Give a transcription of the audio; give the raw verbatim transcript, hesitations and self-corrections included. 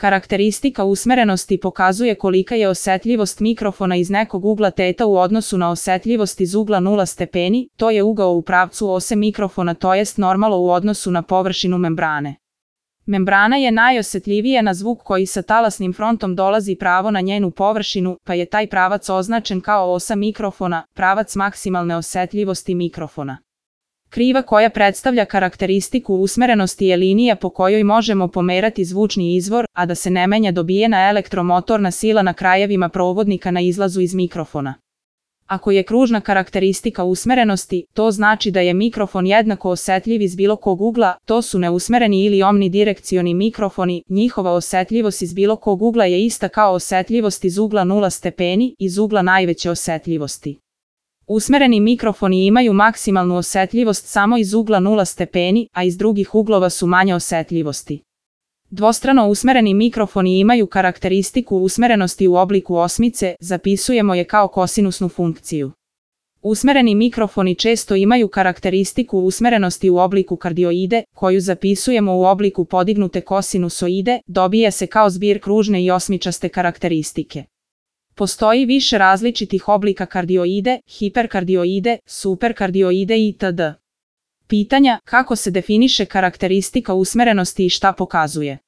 Karakteristika usmerenosti pokazuje kolika je osetljivost mikrofona iz nekog ugla teta u odnosu na osetljivost iz ugla nula stepeni, to je ugao u pravcu ose mikrofona to jest normalo u odnosu na površinu membrane. Membrana je najosetljivija na zvuk koji sa talasnim frontom dolazi pravo na njenu površinu, pa je taj pravac označen kao osa mikrofona, pravac maksimalne osetljivosti mikrofona. Kriva koja predstavlja karakteristiku usmerenosti je linija po kojoj možemo pomerati zvučni izvor, a da se ne menja dobijena elektromotorna sila na krajevima provodnika na izlazu iz mikrofona. Ako je kružna karakteristika usmerenosti, to znači da je mikrofon jednako osetljiv iz bilo kog ugla, to su neusmereni ili omnidirekcioni mikrofoni, njihova osetljivost iz bilo kog ugla je ista kao osetljivost iz ugla nula stepeni, iz ugla najveće osetljivosti. Usmereni mikrofoni imaju maksimalnu osetljivost samo iz ugla nula stepeni, a iz drugih uglova su manje osetljivosti. Dvostrano usmereni mikrofoni imaju karakteristiku usmerenosti u obliku osmice, zapisujemo je kao kosinusnu funkciju. Usmereni mikrofoni često imaju karakteristiku usmerenosti u obliku kardioide, koju zapisujemo u obliku podignute kosinusoide, dobija se kao zbir kružne i osmičaste karakteristike. Postoji više različitih oblika kardioide, hiperkardioide, superkardioide itd. Pitanja: kako se definiše karakteristika usmerenosti i šta pokazuje?